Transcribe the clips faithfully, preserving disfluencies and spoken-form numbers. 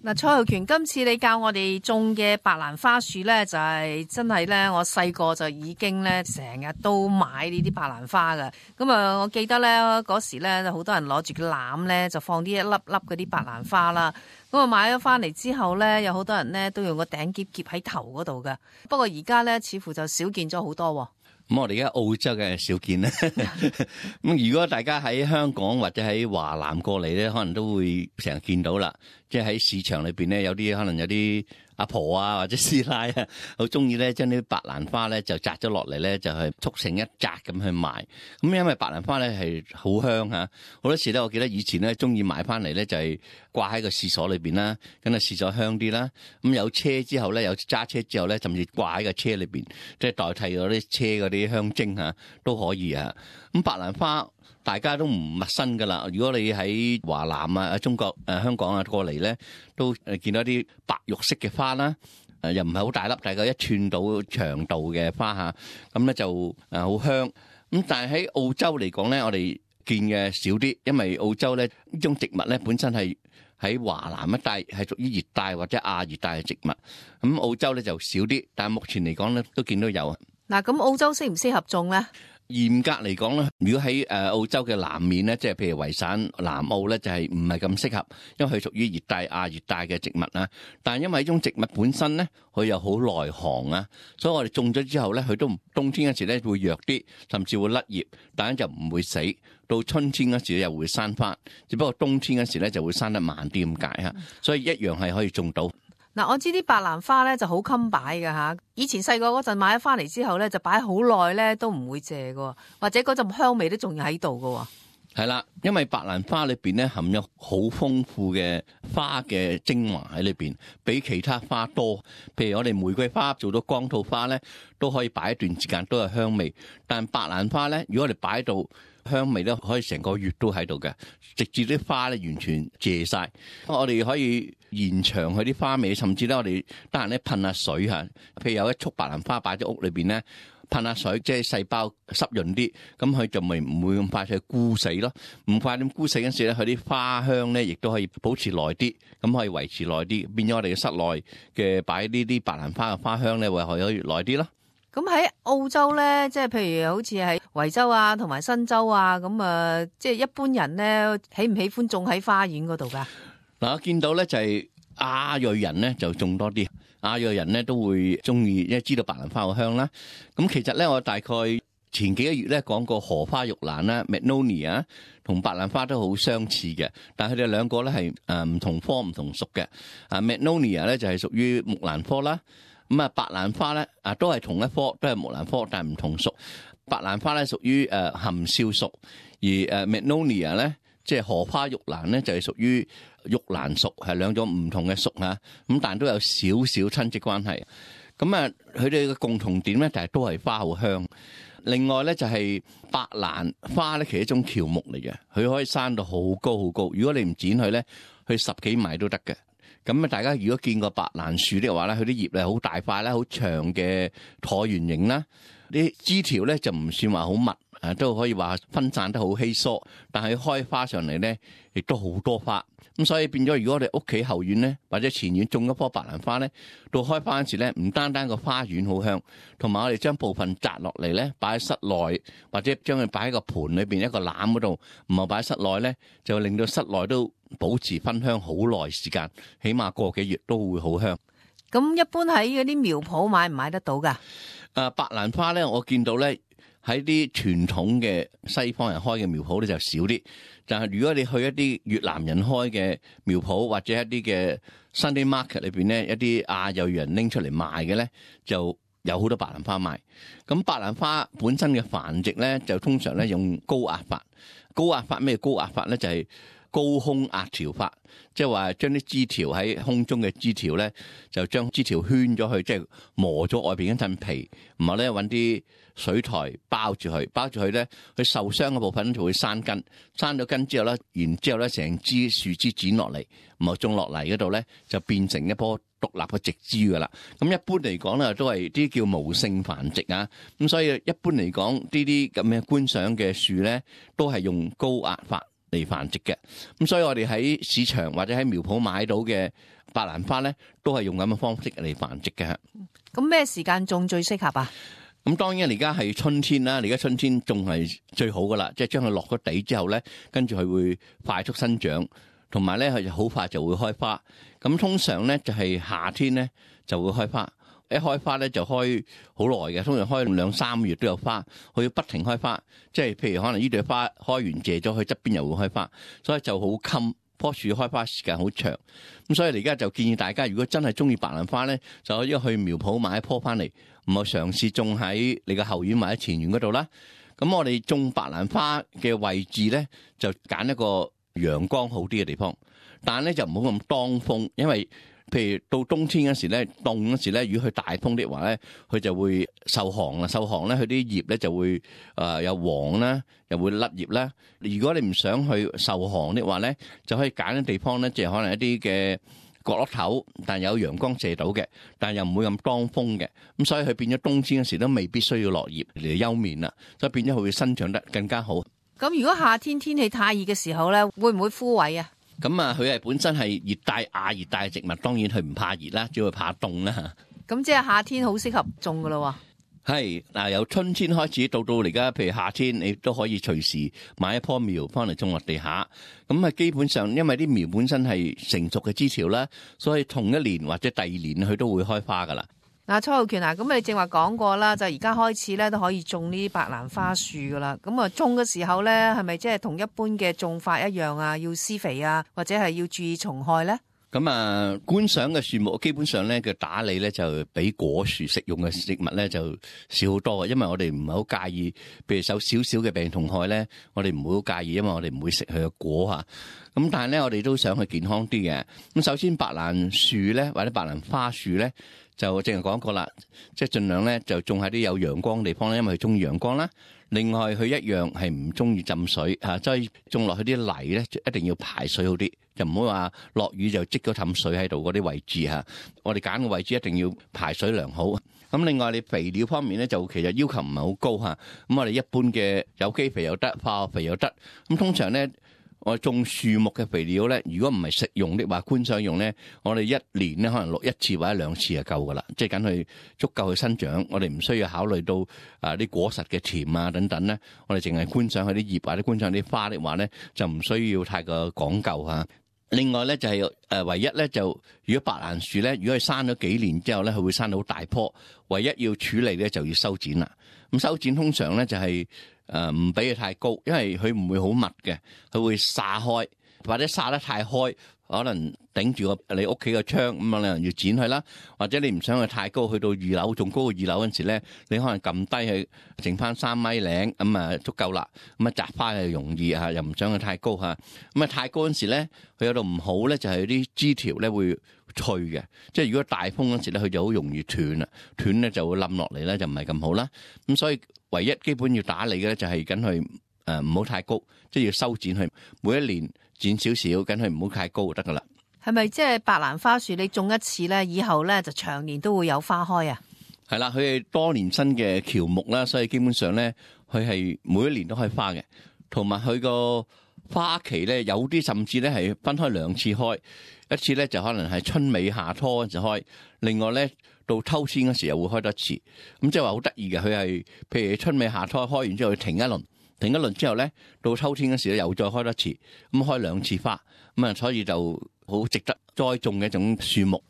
嗱，蔡浩權，今次你教我哋種嘅白蘭花樹咧，就係、是、真係咧，我細個就已經咧成日都買呢啲白蘭花噶。咁啊，我記得咧嗰時咧，好多人攞住個籃咧，就放啲一粒粒嗰啲白蘭花啦。咁啊，買咗翻嚟之後咧，有好多人咧都用個頂夾夾喺頭嗰度噶。不過而家咧，似乎就少見咗好多。咁我哋而家澳洲嘅少見咧，咁如果大家喺香港或者喺華南過嚟咧，可能都會成日見到啦。即係喺市場裏邊咧，有啲可能有啲阿婆啊或者師奶啊，好中意咧將啲白蘭花咧就摘咗落嚟咧，就係束成一紮咁去賣。咁因為白蘭花咧係好香嚇，好多時咧我記得以前咧中意買翻嚟咧就係掛喺個廁所裏邊啦，咁啊廁所香啲啦。咁有車之後咧，有揸車之後咧，甚至掛喺個車裏邊，即係代替咗啲車嗰啲香精嚇都可以啊。咁白蘭花大家都唔陌生噶啦。如果你喺華南啊、中國誒、呃、香港啊過嚟咧，都誒見到啲白玉色嘅花啦，誒又唔係好大粒，大概一寸到長度嘅花嚇，咁咧就誒好香。咁但係喺澳洲嚟講咧，我哋見嘅少啲，因為澳洲咧呢種植物咧本身係喺華南一帶係屬於熱帶或者亞熱帶嘅植物，咁澳洲咧就少啲，但係目前嚟講咧都見到有。嗱，咁澳洲適唔適合種咧？嚴格嚟講咧，如果喺誒澳洲嘅南面咧，即係譬如維省南澳咧，就係唔係咁適合，因為佢屬於熱帶亞熱帶嘅植物啦。但係因為呢種植物本身咧，佢又好耐寒啊，所以我哋種咗之後咧，佢都冬天嗰時咧會弱啲，甚至會甩葉，但係就唔會死。到春天嗰時又會生翻，只不過冬天嗰時咧就會生得慢啲咁解嚇，所以一樣係可以種到。嗱，我知啲白蘭花咧就好襟擺㗎吓，以前細個嗰陣買咗翻嚟之後咧，就擺好耐咧都唔會謝㗎，或者嗰陣香味都仲要喺度㗎。係啦，因為白蘭花裏邊咧含有好豐富嘅花嘅精華喺裏邊，比其他花多。譬如我哋玫瑰花做到光套花咧，都可以擺一段時間都有香味，但白蘭花咧，如果我哋擺到香味咧，可以成個月都喺度嘅，直至啲花咧完全謝晒。我哋可以延長佢啲花味，甚至咧我哋得閒咧噴下水嚇。譬如有一束白蘭花擺喺屋裏邊咧，噴下水，即係細胞濕潤啲，咁佢就咪唔會咁快去枯死咯。唔快點枯死嗰時咧，佢啲花香咧亦都可以保持耐啲，咁可以維持耐啲，變咗我哋嘅室內嘅擺呢啲白蘭花嘅花香咧，會可以耐啲咯。咁喺澳洲咧，即係譬如好似喺維州啊，同埋新州啊，咁啊，即係一般人咧，喜唔喜歡種喺花園嗰度噶？嗱，我見到咧就係亞裔人咧就種多啲，亞裔人咧都會中意，因為知道白蘭花好香啦。咁其實咧，我大概前幾個月咧講過荷花玉蘭啦 Magnolia 同白蘭花都好相似嘅，但係佢哋兩個咧係誒唔同科唔同屬嘅。啊 Magnolia 咧就係屬於木蘭科啦。咁啊，白蘭花咧啊，都係同一科，都係木蘭科，但係唔同屬。白蘭花咧屬於誒含笑屬，而誒 Magnolia 咧，即係荷花玉蘭咧，就係屬於玉蘭屬，係兩種唔同嘅屬嚇。咁但係都有少少親戚關係。咁啊，佢哋嘅共同點咧，就係都係花好香。另外咧就係白蘭花咧，其實一種喬木嚟嘅，佢可以生到好高好高。如果你唔剪佢咧，佢十幾米都得嘅。咁啊，大家如果見過白蘭樹的話咧，佢啲葉咧好大塊啦，好長嘅橢圓形啦，啲枝條咧就唔算話好密，啊都可以話分散得好稀疏，但係開花上嚟咧，亦都好多花。咁所以變咗，如果我哋屋企後院咧或者前院種一棵白蘭花咧，到開花嗰時咧，唔單單個花園好香，同埋我哋將部分摘落嚟咧，擺喺室內或者將佢擺喺個盆裏邊一個籃嗰度，唔係擺喺室內咧，就令到室內都保持芬香好耐時間，起碼個幾月都會好香。咁一般喺嗰啲苗圃買唔買得到噶？誒，白蘭花咧，我見到咧喺啲傳統嘅西方人開嘅苗圃咧就少啲，但係如果你去一啲越南人開嘅苗圃或者一啲嘅 Sunday Market 裏邊咧，一啲亞裔人拎出嚟賣嘅咧，就有好多白蘭花賣。咁白蘭花本身嘅繁殖咧，就通常咧用高壓法。高壓法咩？高壓法咧就係高空壓條法，即係話將啲枝條喺空中嘅枝條咧，就將枝條圈咗去，即係磨咗外邊一陣皮，然後咧揾啲水苔包住佢，包住佢咧，佢受傷嘅部分就會生根，生咗根之後咧，然之後咧成枝樹枝剪落嚟，然後種落嚟嗰度咧，就變成一棵獨立嘅植株噶啦。咁一般嚟講咧，都係啲叫無性繁殖啊。咁所以一般嚟講，呢啲咁嘅觀賞嘅樹咧，都係用高壓法嚟繁殖嘅。咁所以我哋喺市場或者喺苗圃買到嘅白蘭花咧都係用咁嘅方式嚟繁殖嘅。咁咩時間種最適合啊？咁當然而家係春天啦，而家春天種係最好噶啦，即係將佢落咗地之後咧，跟住佢會快速生長，同埋咧佢就好快就會開花。咁通常咧就係夏天咧就會開花，一開花咧就開好耐嘅，通常開兩三個月都有花，佢要不停開花。即係譬如可能呢朵花開完謝咗，佢側邊又會開花，所以就好襟。棵樹開花時間好長，咁所以而家就建議大家，如果真係中意白蘭花咧，就可以去苗圃買一棵翻嚟，唔好嘗試種喺你個後院或者前院嗰度啦。咁我哋種白蘭花嘅位置咧，就揀一個陽光好啲嘅地方，但係咧就唔好咁當風，因為譬如到冬天嗰時咧，凍嗰時咧，如果佢大風的話咧，佢就會受寒啦，受寒咧，佢啲葉咧就會誒又黃啦，又會甩葉啦。如果你唔想去受寒的話咧，就可以揀啲地方咧，即係可能一啲嘅角落頭，但有陽光射到嘅，但又唔會咁當風嘅。咁所以佢變咗冬天嗰時都未必需要落葉嚟休眠啦，所以變咗佢會生長得更加好。咁如果夏天天氣太熱嘅時候咧，會唔會枯萎啊？咁啊，佢係本身係熱帶亞熱帶嘅植物，當然佢唔怕熱啦，只會怕凍啦。咁即係夏天好適合種噶咯。係嗱，由春天開始到到而家，譬如夏天，你都可以隨時買一棵苗翻嚟種落地下。咁啊，基本上因為啲苗本身係成熟嘅枝條啦，所以同一年或者第二年佢都會開花噶啦。嗱，蔡浩權啊，咁你正話講過啦，就而家開始咧都可以種呢啲白蘭花樹噶啦。咁啊，種嘅時候咧，係咪即係同一般嘅種法一樣啊？要施肥啊，或者係要注意蟲害咧？咁啊，觀賞嘅樹木基本上咧嘅打理咧就比果樹食用嘅植物咧就少好多嘅，因為我哋唔係好介意，譬如受少少嘅病蟲害咧，我哋唔會好介意，因為我哋唔會食佢嘅果嚇。咁但係咧，我哋都想佢健康啲嘅。咁首先白蘭樹咧，或者白蘭花樹咧，就正係講過啦，即係盡量咧就種喺啲有陽光嘅地方咧，因為佢中意陽光啦。另外佢一樣係唔中意浸水嚇，所以種落去啲泥咧一定要排水好啲，就唔好話落雨就積咗氹水喺度嗰啲位置嚇。我哋揀嘅位置一定要排水良好。咁另外你肥料方面咧就其實要求唔係好高嚇。咁我哋一般嘅有機肥又得，化學肥又得。咁通常咧，我種樹木嘅肥料咧，如果唔係食用的話，觀賞用咧，我哋一年咧可能落一次或者兩次就夠噶啦，即係等佢足夠去生長。我哋唔需要考慮到啊啲果實嘅甜啊等等咧，我哋淨係觀賞佢啲葉或者觀賞啲花的話咧，就唔需要太過講究嚇。另外咧就係誒唯一咧就如果白蘭樹咧，如果佢生咗幾年之後咧，佢會生到好大棵，唯一要處理咧就要修剪啦。咁修剪通常咧就係誒唔俾佢太高，因為佢唔會好密嘅，佢會撒開或者撒得太開，可能頂住個你屋企個窗咁啊，你可能要剪佢啦。或者你唔想佢太高，去到二樓仲高過二樓嗰陣時咧，你可能撳低佢，剩翻三米零咁啊足夠啦。咁啊摘花又容易嚇，又唔想佢太高嚇。咁啊太高嗰陣時咧，佢有度唔好咧，就係啲枝條咧會脆嘅，即係如果大風嗰時咧，佢就好容易斷啦，斷咧就會冧落嚟咧，就唔係咁好啦。咁所以唯一基本要打理嘅咧，就係緊佢誒唔好太高，即係要修剪佢，每一年剪少少，緊佢唔好太高就得噶啦。係咪即係白蘭花樹你種一次咧，以後咧就長年都會有花開啊？係啦，佢係多年生嘅喬木啦，所以基本上咧，佢係每一年都開花嘅，同埋佢個花期咧，有啲甚至咧係分開兩次開，一次咧就可能係春尾夏初嗰陣開，另外咧到秋天嗰時又會開多一次。咁即係話好得意嘅，佢係譬如春尾夏初開完之後，佢停一輪，停一輪之後咧，到秋天嗰時咧又再開多一次，咁開兩次花，咁啊所以就好值得栽種嘅一種樹木。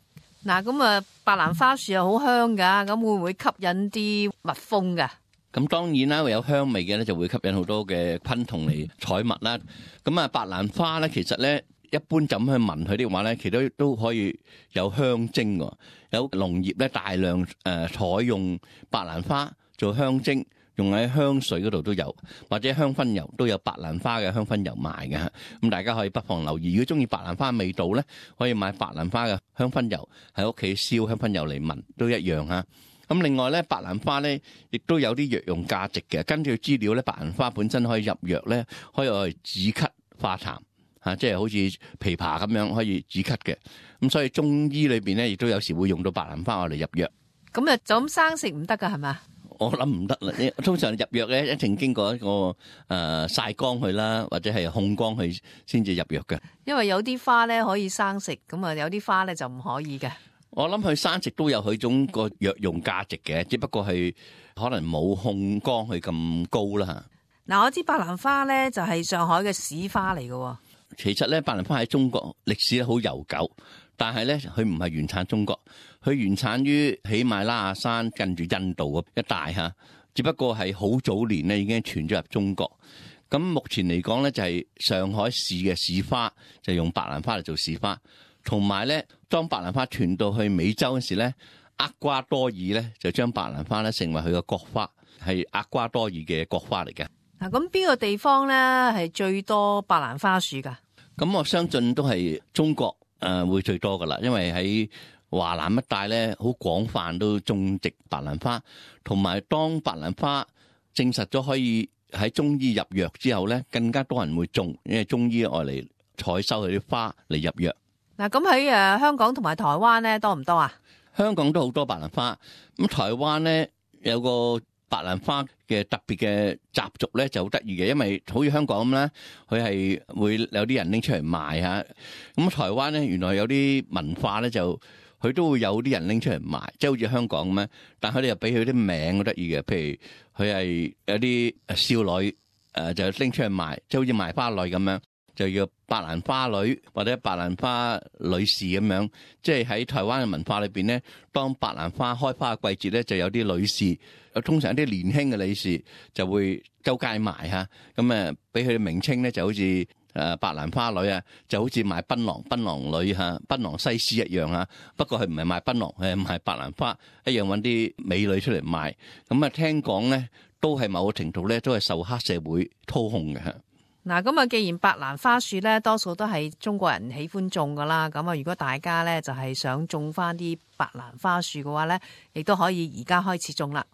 嗱，咁啊白蘭花樹又好香噶，咁會唔會吸引啲蜜蜂噶？咁當然啦，會有香味嘅咧，就會吸引好多嘅昆蟲嚟採蜜啦。咁啊，白蘭花咧，其實咧一般就咁去聞佢的話咧，其實都都可以有香精喎。有農業咧大量誒採用白蘭花做香精，用喺香水嗰度都有，或者香薰油都有白蘭花嘅香薰油賣嘅。咁大家可以不妨留意，如果中意白蘭花味道咧，可以買白蘭花嘅香薰油喺屋企燒香薰油嚟聞都一樣嚇。咁另外咧，白蘭花咧亦都有啲藥用價值嘅。根據資料咧，白蘭花本身可以入藥咧，可以用嚟止咳化痰嚇，即係好似枇杷咁樣可以止咳嘅。咁所以中醫裏邊咧，亦都有時會用到白蘭花嚟入藥。咁啊，就咁生食唔得噶係嘛？我諗唔得啦，通常入藥咧一定經過一個誒曬光去啦，或者係控光去先至入藥嘅。因為有啲花咧可以生食，咁啊有啲花咧就唔可以嘅。我諗佢生食都有佢種個藥用價值嘅，只不過係可能冇控光去咁高啦。嗱，我知白蘭花咧就係上海嘅市花嚟嘅。其實咧，白蘭花喺中國歷史咧好悠久，但係咧佢唔係原產中國，佢原產於喜馬拉雅山近住印度嗰一帶吓，只不過係好早年咧已經傳咗入中國。咁目前嚟講咧就係上海市嘅市花，就用白蘭花嚟做市花。同埋咧，當白蘭花傳到去美洲嗰時咧，厄瓜多爾咧就將白蘭花咧成為佢嘅國花，係厄瓜多爾嘅國花嚟嘅。嗱，咁邊個地方咧係最多白蘭花樹噶？咁我相信都係中國誒會最多噶啦，因為喺華南一帶咧好廣泛都種植白蘭花，同埋當白蘭花證實咗可以喺中醫入藥之後咧，更加多人會種，因為中醫愛嚟採收佢啲花嚟入藥。嗱，咁喺誒香港同埋台灣咧多唔多啊？香港都好多白蘭花，咁台灣咧有個白蘭花嘅特別嘅習俗咧就好得意嘅，因為好似香港咁咧，佢係會有啲人拎出嚟賣嚇。咁台灣咧原來有啲文化咧就佢都會有啲人拎出嚟賣，即係好似香港咁咧。但係佢哋又俾佢啲名好得意嘅，譬如佢係有啲少女誒就拎出嚟賣，即係好似賣花女咁樣。就叫白蘭花女或者白蘭花女士咁樣，即係喺台灣嘅文化裏邊咧，當白蘭花開花嘅季節咧，就有啲女士，通常一啲年輕嘅女士就會周街賣嚇，咁誒俾佢嘅名稱咧就好似誒白蘭花女啊，就好似賣檳榔檳榔女嚇，檳榔西施一樣嚇。不過佢唔係賣檳榔，係賣白蘭花，一樣揾啲美女出嚟賣。咁啊聽講咧，都係某個程度咧，都係受黑社會操控嘅嚇。嗱，咁啊，既然白蘭花樹咧，多數都係中國人喜歡種噶啦，咁啊，如果大家咧就係想種翻啲白蘭花樹嘅話咧，亦都可以而家開始種啦。